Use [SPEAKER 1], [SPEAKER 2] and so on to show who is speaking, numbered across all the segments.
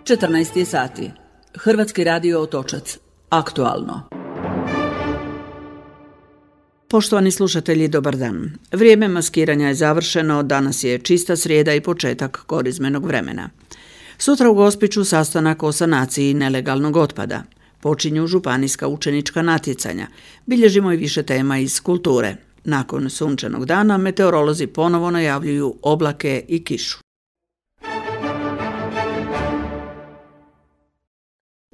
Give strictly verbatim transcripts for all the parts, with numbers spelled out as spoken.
[SPEAKER 1] četrnaest je sati. Hrvatski radio Otočac. Aktualno. Poštovani slušatelji, dobar dan. Vrijeme maskiranja je završeno, danas je čista srijeda i početak korizmenog vremena. Sutra u Gospiću sastanak o sanaciji nelegalnog otpada. Počinju županijska učenička natjecanja. Bilježimo i više tema iz kulture. Nakon sunčanog dana meteorolozi ponovo najavljuju oblake i kišu.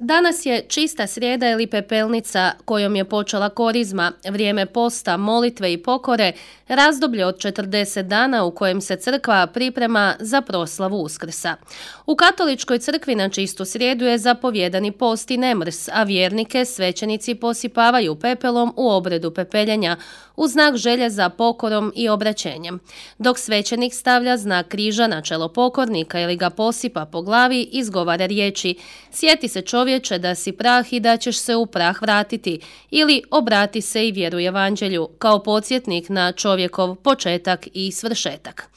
[SPEAKER 2] Danas je čista srijeda ili pepelnica kojom je počela korizma, vrijeme posta, molitve i pokore, razdoblje od četrdeset dana u kojem se crkva priprema za proslavu Uskrsa. U katoličkoj crkvi na čistu srijedu je zapovjedani post i nemrs, a vjernike svećenici posipavaju pepelom u obredu pepeljenja, u znak želje za pokorom i obraćenjem. Dok svećenik stavlja znak križa na čelo pokornika ili ga posipa po glavi, izgovara riječi: sjeti se čovječe da si prah i da ćeš se u prah vratiti, ili obrati se i vjeruj evanđelju, kao podsjetnik na čovjekov početak i svršetak.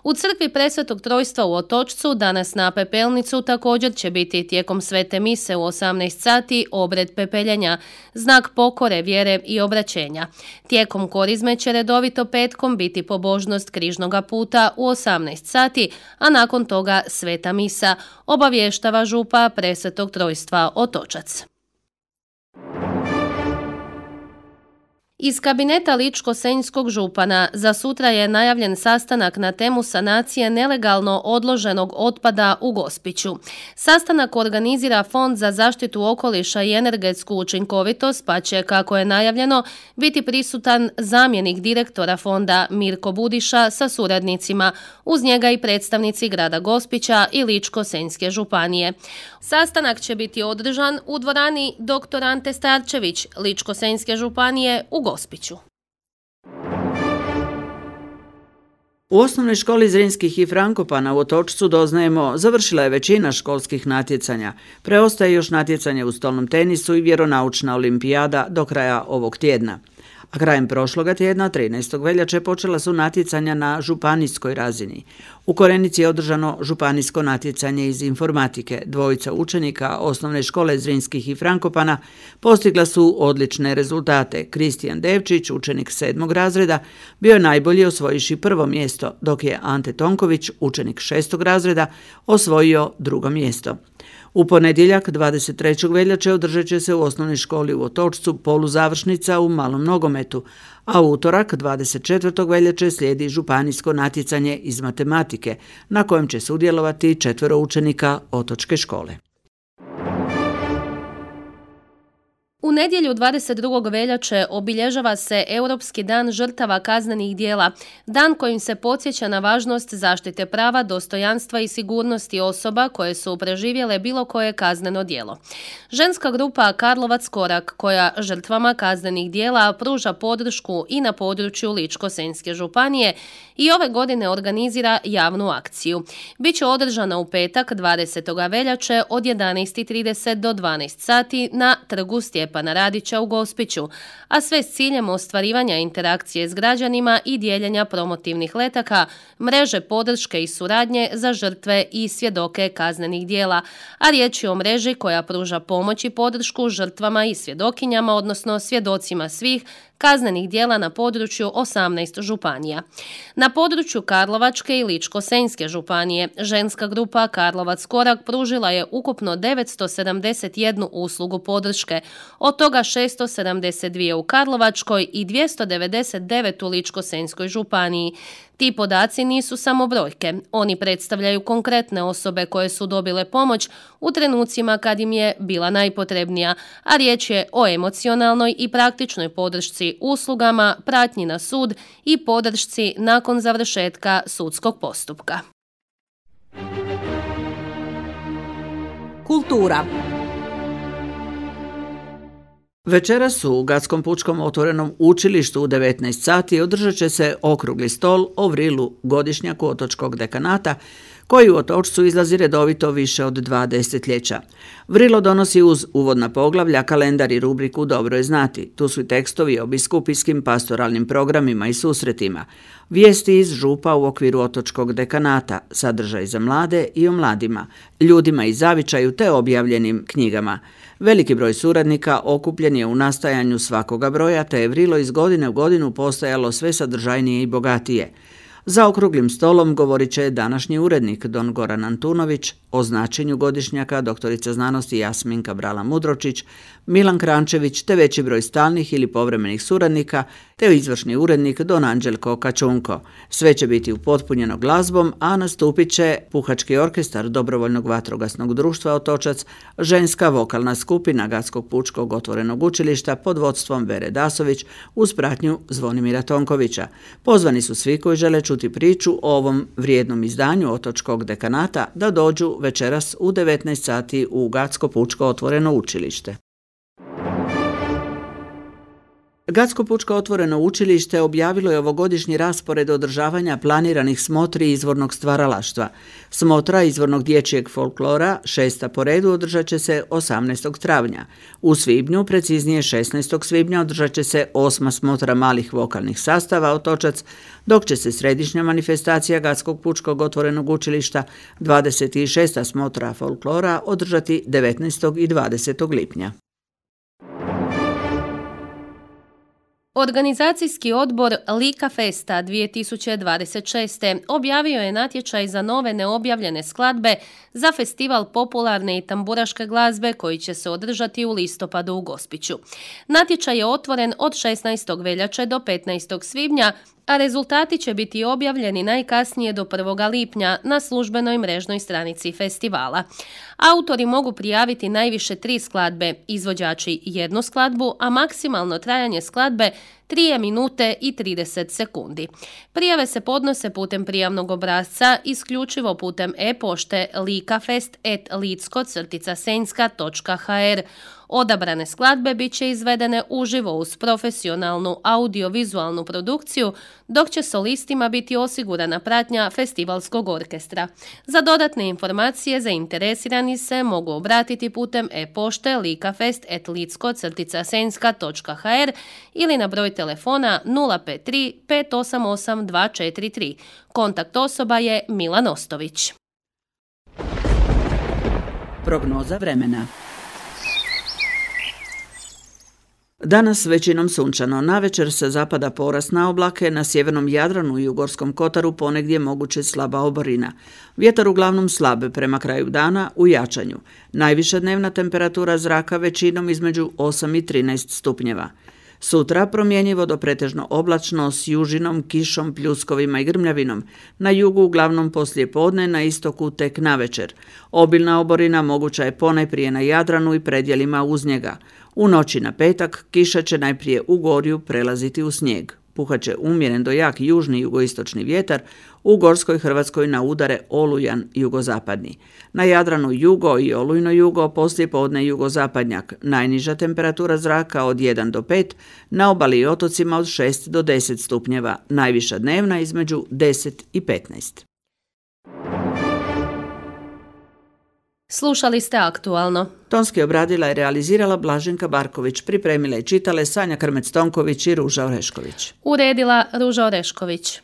[SPEAKER 2] U crkvi Presvetog Trojstva u Otočcu danas na pepelnicu također će biti tijekom svete mise u osamnaest sati obred pepeljenja, znak pokore, vjere i obraćenja. Tijekom korizme će redovito petkom biti pobožnost križnoga puta u osamnaest sati, a nakon toga sveta misa, obavještava župa Presvetog Trojstva Otočac. Iz kabineta ličko-senjskog župana za sutra je najavljen sastanak na temu sanacije nelegalno odloženog otpada u Gospiću. Sastanak organizira Fond za zaštitu okoliša i energetsku učinkovitost, pa će, kako je najavljeno, biti prisutan zamjenik direktora fonda Mirko Budiša sa suradnicima, uz njega i predstavnici grada Gospića i Ličko-senjske županije. Sastanak će biti održan u dvorani doktor Ante Starčević, Ličko-senjske županije u Gospiću.
[SPEAKER 1] U osnovnoj školi Zrinskih i Frankopana u Otočcu, doznajemo, završila je većina školskih natjecanja. Preostaje još natjecanje u stolnom tenisu i vjeronaučna olimpijada do kraja ovog tjedna. A krajem prošloga tjedna, trinaestog veljače, počela su natjecanja na županijskoj razini. U Korenici je održano županijsko natjecanje iz informatike. Dvojica učenika osnovne škole Zrinskih i Frankopana postigla su odlične rezultate. Kristijan Devčić, učenik sedmog razreda, bio je najbolji osvojiši prvo mjesto, dok je Ante Tonković, učenik šestog razreda, osvojio drugo mjesto. U ponedjeljak, dvadeset trećeg veljače, održat će se u osnovnoj školi u Otočcu poluzavršnica u malom nogometu, a u utorak, dvadeset četvrtog veljače, slijedi županijsko natjecanje iz matematike, na kojem će sudjelovati četvero učenika otočke škole.
[SPEAKER 2] U nedjelju dvadeset drugog veljače obilježava se Europski dan žrtava kaznenih djela, dan kojim se podsjeća na važnost zaštite prava, dostojanstva i sigurnosti osoba koje su preživjele bilo koje kazneno djelo. Ženska grupa Karlovac Korak, koja žrtvama kaznenih djela pruža podršku i na području Ličko-senjske županije, i ove godine organizira javnu akciju. Biće održana u petak dvadesetog veljače od jedanaest i trideset do dvanaest sati na trgu Stjepana Radića u Gospiću, a sve s ciljem ostvarivanja interakcije s građanima i dijeljenja promotivnih letaka, mreže podrške i suradnje za žrtve i svjedoke kaznenih djela, a riječ je o mreži koja pruža pomoć i podršku žrtvama i svjedokinjama, odnosno svjedocima svih kaznenih djela na području osamnaest županija. Na području Karlovačke i Ličko-senjske županije ženska grupa Karlovac Korak pružila je ukupno devetsto sedamdeset jednu uslugu podrške, od toga šesto sedamdeset dvije u Karlovačkoj i dvjesto devedeset devet u Ličko-senjskoj županiji. Ti podaci nisu samo brojke, oni predstavljaju konkretne osobe koje su dobile pomoć u trenucima kad im je bila najpotrebnija, a riječ je o emocionalnoj i praktičnoj podršci uslugama, pratnji na sud i podršci nakon završetka sudskog postupka.
[SPEAKER 1] Kultura. Večeras u Gatskom pučkom otvorenom učilištu u devetnaest sati održat će se okrugli stol o vrilu godišnjaku otočkog dekanata koji u Otočcu izlazi redovito više od dva desetljeća. Vrilo donosi uz uvodna poglavlja, kalendar i rubriku Dobro je znati. Tu su i tekstovi o biskupijskim pastoralnim programima i susretima, vijesti iz župa u okviru otočkog dekanata, sadržaj za mlade i o mladima, ljudima i zavičaju te objavljenim knjigama. Veliki broj suradnika okupljen je u nastajanju svakoga broja, te je Vrilo iz godine u godinu postajalo sve sadržajnije i bogatije. Za okruglim stolom govorit će današnji urednik don Goran Antunović, o značenju godišnjaka doktorica znanosti Jasminka Brala-Mudročić, Milan Krančević te veći broj stalnih ili povremenih suradnika te izvršni urednik don Anđelko Kačunko. Sve će biti upotpunjeno glazbom, a nastupit će Puhački orkestar Dobrovoljnog vatrogasnog društva Otočac, ženska vokalna skupina Gatskog pučkog otvorenog učilišta pod vodstvom Vere Dasović uz pratnju Zvonimira Tonkovića. Pozvani su svi koji žele čuti priču o ovom vrijednom izdanju otočkog dekanata da dođu večeras u devetnaest sati u Gatsko pučko otvoreno učilište. Gatsko pučko otvoreno učilište objavilo je ovogodišnji raspored održavanja planiranih smotri izvornog stvaralaštva. Smotra izvornog dječjeg folklora, šesta po redu, održat će se osamnaestog travnja. U svibnju, preciznije šesnaestog svibnja, održat će se osma smotra malih vokalnih sastava Otočac, dok će se središnja manifestacija Gatskog pučkog otvorenog učilišta, dvadeset šesta smotra folklora, održati devetnaestog i dvadesetog lipnja.
[SPEAKER 2] Organizacijski odbor Lika Festa dvije tisuće dvadeset šest. objavio je natječaj za nove neobjavljene skladbe za festival popularne i tamburaške glazbe koji će se održati u listopadu u Gospiću. Natječaj je otvoren od šesnaestog veljače do petnaestog svibnja, a rezultati će biti objavljeni najkasnije do prvoga lipnja na službenoj mrežnoj stranici festivala. Autori mogu prijaviti najviše tri skladbe, izvođači jednu skladbu, a maksimalno trajanje skladbe tri minute i trideset sekundi. Prijave se podnose putem prijavnog obrasca isključivo putem e-pošte likafest at litsko senjska točka ha er. Odabrane skladbe bit će izvedene uživo uz profesionalnu audiovizualnu produkciju, dok će solistima biti osigurana pratnja festivalskog orkestra. Za dodatne informacije zainteresirani se mogu obratiti putem e-pošte likafest at litsko senjska točka ha er ili na broj telefona nula pet tri pet osam osam dva četiri tri. Kontakt osoba je Milan Ostović.
[SPEAKER 1] Prognoza vremena. Danas većinom sunčano, navečer se zapada porast na oblake, na sjevernom Jadranu i u Gorskom Kotaru ponegdje moguće slaba oborina. Vjetar uglavnom slab, prema kraju dana u jačanju. Najviša dnevna temperatura zraka većinom između osam i trinaest stupnjeva. Sutra promjenjivo do pretežno oblačno s južinom, kišom, pljuskovima i grmljavinom. Na jugu uglavnom poslije podne, na istoku tek navečer. Obilna oborina moguća je ponajprije na Jadranu i predjelima uz njega. U noći na petak kiša će najprije u Gorju prelaziti u snijeg. Puhat će umjeren do jak južni jugoistočni vjetar, u Gorskoj Hrvatskoj na udare olujan jugozapadni. Na Jadranu jugo i olujno jugo, poslije podne jugozapadnjak. Najniža temperatura zraka od jedan do pet, na obali i otocima od šest do deset stupnjeva, najviša dnevna između deset i petnaest.
[SPEAKER 2] Slušali ste Aktualno.
[SPEAKER 1] Tonski obradila i realizirala Blaženka Barković, pripremila i čitale Sanja Krmec-Tonković i Ruža Orešković.
[SPEAKER 2] Uredila Ruža Orešković.